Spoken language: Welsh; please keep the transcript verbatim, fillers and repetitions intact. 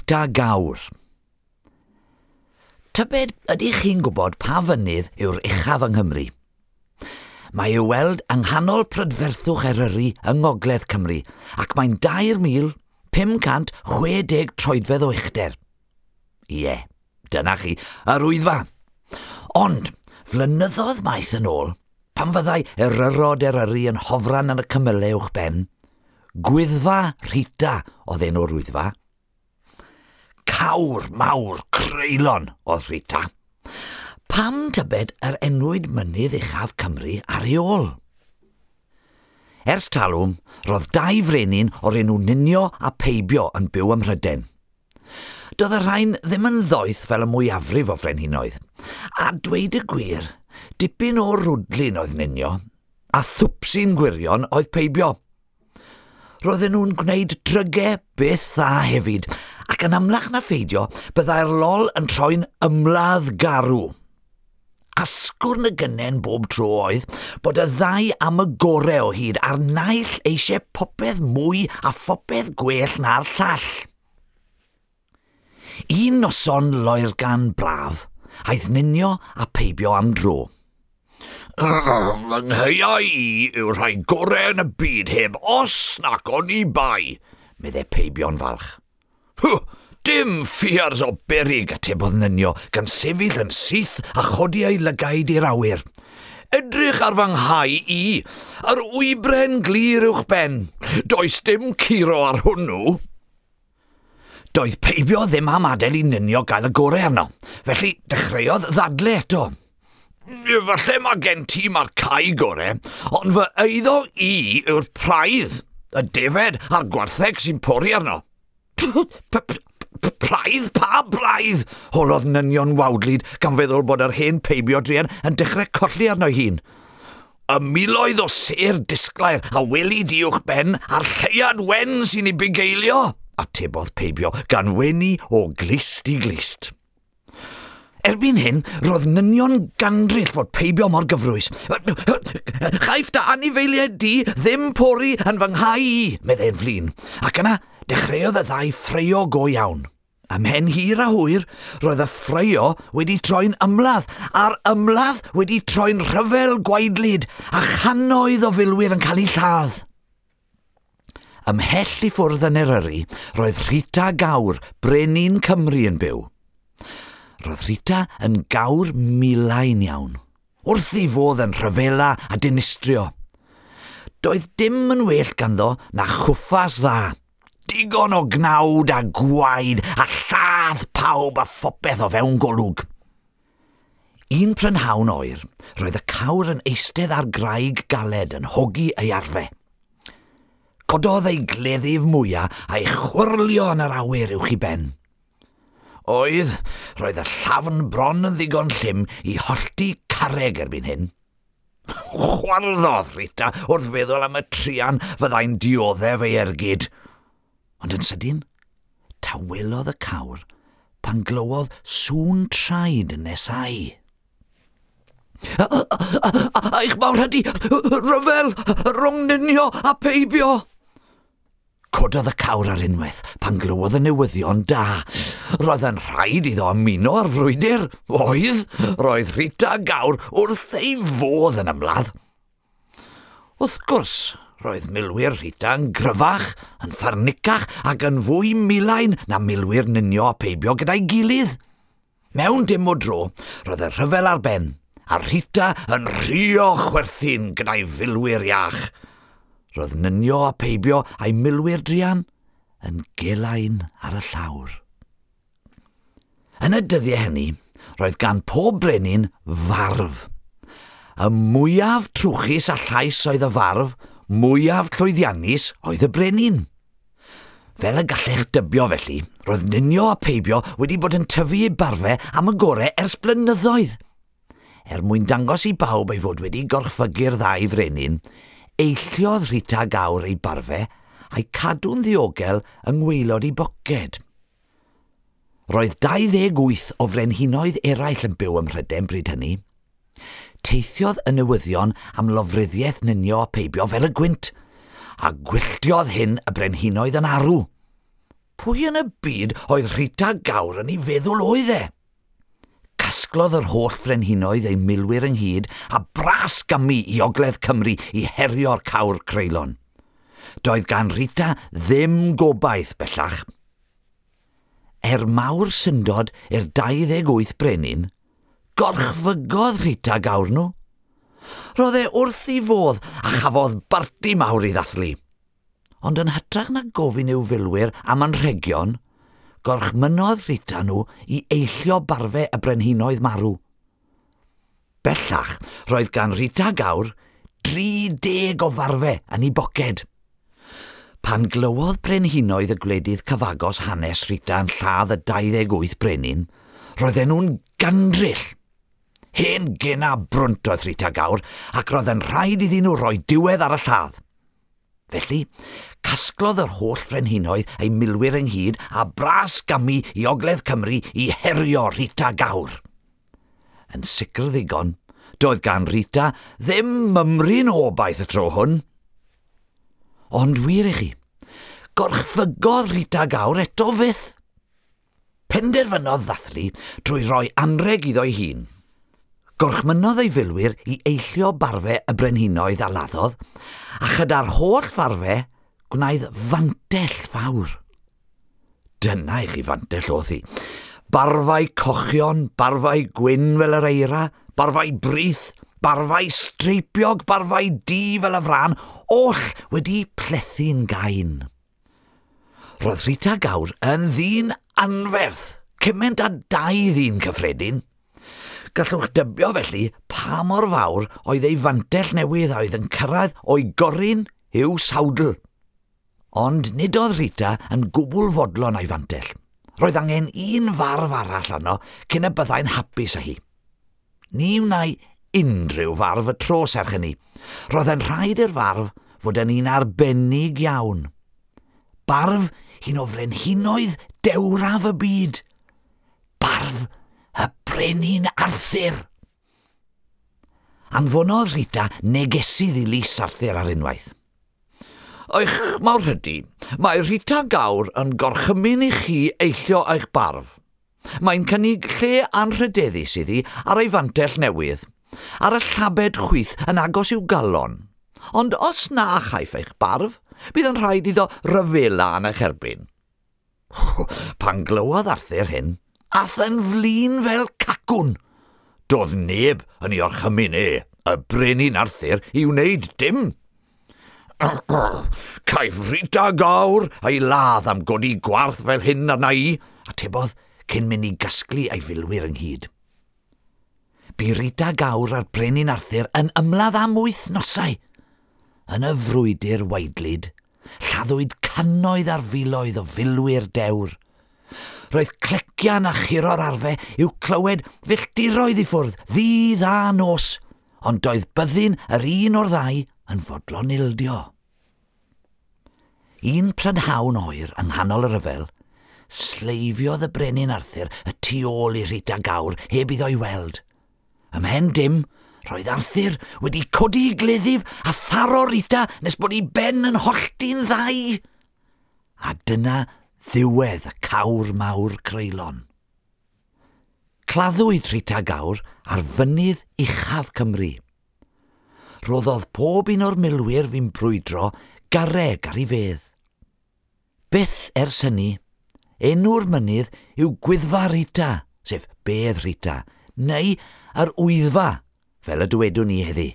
Rhita Gawr. Tybed, ydych chi'n gwybod pa fynydd yw'r uchaf yng Nghymru? Mae i'w weld yng nghanol prydferthwch Eryri yng Ngogledd Cymru ac mae'n dair mil pum cant chwe deg troedfedd o uchder. Ie, dyna chi, yr Wyddfa. Ond, flynyddoedd maith yn ôl, pan fyddai eryrod Eryri yn hofran yn y cymylau uwchben, Gwyddfa Rhita oedd enw'r Wyddfa. Cawr mawr creulon oedd Rhita. Pam tybed yr enwyd mynydd uchaf Cymru ar ei ôl? Ers talwm, roedd dau frenin o'r enw Ninio a Peibio yn byw ym Mhrydain. Doedd y rhain ddim yn ddoeth fel y mwyafrif o frenhinoedd. A dweud y gwir, dipyn o rwdlun oedd Ninio, a thwpsi'n gwirion oedd Peibio. Roedden nhw'n gwneud drygau byth dda hefyd, ac yn amlach na pheidio, byddai'r lol yn troi'n ymladd garw. Asgwrn y gynnen bob tro oedd bod y ddau am y gorau o hyd a'r naill eisiau popeth mwy a phopeth gwell na'r llall. Un noson loergan braf, aeth Ninio a Peibio am dro. Fy nghaeau i yw'r rhai gorau yn y byd heb os nac oni bai, meddai Peibio'n falch. Hw, dim ffiars o beryg, atebodd Ninio, gan sefyll yn syth a chodi ei lygaid i'r awyr. Edrych ar fy nghae i, yr wybren glir uwch ben. Does dim curo ar hwnnw. Doedd Peibio ddim am adael i Ninio gael y gorau arno, felly dechreuodd ddadle eto. Falle mae gen ti mae'r cae gorau, ond fy eiddo i yw'r praidd, y defed a'r gwartheg sy'n pori arno. Praidd? Pa braidd? Holodd Ninio'n wawdlyd gan feddwl bod yr hen Peibio druan yn dechrau colli arno ei hun. Y miloedd o sêr disglair a weli di uwch ben a'r lleuad wen sy'n ei bugeilio, atebodd Peibio gan wenu o glust i glust. Erbyn hyn, roedd Ninio'n gandryll fod Peibio mor gyfrwys. Chaiff dy anifeiliaid di ddim pori yn fy nghae i, meddai'n flin. Ac yna, dechreuodd y ddau ffraeo go iawn. Ymhen hir a hwyr, roedd y ffraeo wedi troi'n ymladd, a'r ymladd wedi troi'n rhyfel gwaedlyd, a channoedd o filwyr yn cael eu lladd. Ymhell i ffwrdd yn Eryri, roedd Rhita Gawr, brenin Cymru yn byw. Roedd Rhita yn gawr milain iawn, wrth ei fodd yn rhyfela a dinistrio. Doedd dim yn well ganddo na chwffas dda. Digon o gnawd a gwaed a lladd pawb a phopeth o fewn golwg. Un prynhawn oer, roedd y cawr yn eistedd ar graig galed yn hogi ei arfe. Cododd ei gleddyf mwyaf a'i chwyrlio yn yr awyr uwch ei ben. Oedd, roedd y llafn bron yn ddigon llym i hollti carreg erbyn hyn. Chwarddodd Rhita wrth feddwl am y truan fyddai'n dioddef ei ergyd. Ond yn sydyn, tawelodd y cawr pan glywodd sŵn traed yn nesáu. Eich mawrhydi, rhyfel, rhwng Ninio a Peibio! Cododd y cawr ar unwaith pan glywodd y newyddion da. Roedd yn rhaid iddo ymuno â'r frwydr. Oedd, roedd Rhita Gawr wrth ei fodd yn ymladd. Wrth gwrs, roedd milwyr Rhita yn gryfach, yn ffyrnicach ac yn fwy milain na milwyr Ninio a Peibio gyda'i gilydd. Mewn dim o dro, roedd y rhyfel ar ben, a Rhita yn rhuo chwerthin gyda'i filwyr iach. Roedd Ninio a Peibio a'i milwyr druan yn gelain ar y llawr. Yn y dyddiau hynny, roedd gan pob brenin farf. Y mwyaf trwchus a llais oedd y farf, mwyaf llwyddiannus oedd y brenin. Fel y gallech dybio felly, roedd Ninio a Peibio wedi bod yn tyfu eu barfau am y gorau ers blynyddoedd. Er mwyn dangos i bawb ei fod wedi gorchfygu'r ddau frenin, eilliodd Rhita Gawr ei barfau a'i cadw'n ddiogel yng ngwaelod ei boced. Roedd dau ddeg wyth o frenhinoedd eraill yn byw ym Mhrydain bryd hynny. Teithiodd y newyddion am lofruddiaeth Ninio a Peibio fel y gwynt, a gwylltiodd hyn y brenhinoedd yn arw. Pwy yn y byd oedd Rhita Gawr yn ei feddwl oedd e? Casglodd yr holl frenhinoedd eu milwyr ynghyd a bras gamu i Ogledd Cymru i herio'r cawr creulon. Doedd gan Rhita ddim gobaith bellach. Er mawr syndod i'r dau ddeg wyth brenin, gorchfygodd Rhita Gawr nhw. Roedd e wrth ei fodd a chafodd barti mawr i ddathlu. Ond yn hytrach na gofyn i'w filwyr am anrhegion, gorchmynodd Rhita nhw i eillio barfau y brenhinoedd marw. Bellach, roedd gan Rhita Gawr dri deg o farfau yn ei boced. Pan glywodd brenhinoedd y gwledydd cyfagos hanes Rhita yn lladd y dau ddeg wyth brenin, roedden nhw'n gandryll. Hen gena brwnt oedd Rhita Gawr, ac roedd yn rhaid iddyn nhw roi diwedd ar y lladd. Felly, casglodd yr holl frenhinoedd eu milwyr ynghyd a bras gamu i Ogledd Cymru i herio Rhita Gawr. Yn sicr ddigon, doedd gan Rhita ddim mymryn o obaith y tro hwn. Ond wir i chi, gorchfygodd Rhita Gawr eto fyth. Penderfynodd ddathlu drwy roi anrheg iddo'i hun. Gorchmynodd ei filwyr i eillio barfau y brenhinoedd a laddodd, a chyda'r holl farfau gwnaeth fantell fawr. Dyna i chi fantell oedd hi. Barfau cochion, barfau gwyn fel yr eira, barfau brith, barfau streipiog, barfau du fel y frân, oll wedi plethu'n gain. Roedd Rhita Gawr yn ddyn anferth, cymaint â dau ddyn cyffredin. Gallwch dybio felly pa mor fawr oedd ei fantell newydd a oedd yn cyrraedd o'i gorun i'w sawdl. Ond nid oedd Rhita yn gwbl fodlon a'i fantell. Roedd angen un farf arall arno cyn y byddai'n hapus â hi. Ni wnai unrhyw farf y tro serch hynny. Roedd yn rhaid i'r farf fod yn un arbennig iawn. Barf un o frenhinoedd dewraf y byd. Barf y brenin Arthur. Anfonodd Rhita negesydd i lys Arthur ar unwaith. Eich mawrhydi, mae Rhita Gawr yn gorchymyn i chi eillio eich barf. Mae'n cynnig lle anrhydeddus iddi ar ei fantell newydd, ar y llabed chwith yn agos i'w galon. Ond os na chaiff eich barf, bydd yn rhaid iddo ryfela yn eich erbyn. Pan glywodd Arthur hyn, ath yn flin fel cacwn. Doedd neb yn ei orchymyn e, y brenin Arthur, i wneud dim. Caiff Rhita Gawr ei ladd am godi gwarth fel hyn arna i, atebodd cyn mynd i gasglu ei filwyr ynghyd. Bu Rhita Gawr a'r brenin Arthur yn ymladd am wythnosau. Yn y frwydr waedlyd, lladdwyd cannoedd ar filoedd o filwyr dewr. Roedd clecian a churo'r arfau i'w clywed filltiroedd i ffwrdd, ddydd a nos, ond doedd byddin yr un o'r ddau yn fodlon ildio. Un prynhawn oer yng nghanol y rhyfel, sleifiodd y brenin Arthur y tu ôl i Rhita Gawr heb iddo'i weld. Ymhen dim, roedd Arthur wedi codi ei gleddyf a tharo Rhita nes bod ei ben yn hollti'n ddau. A dyna ddiwedd y cawr mawr creulon. Claddwyd Rhita Gawr ar fynydd uchaf Cymru. Roddodd pob un o'r milwyr fu'n brwydro garreg ar ei fedd. Byth ers hynny, enw'r mynydd yw Gwyddfa Rhita, sef Bedd Rhita, neu yr Wyddfa, fel y dywedwn ni heddi.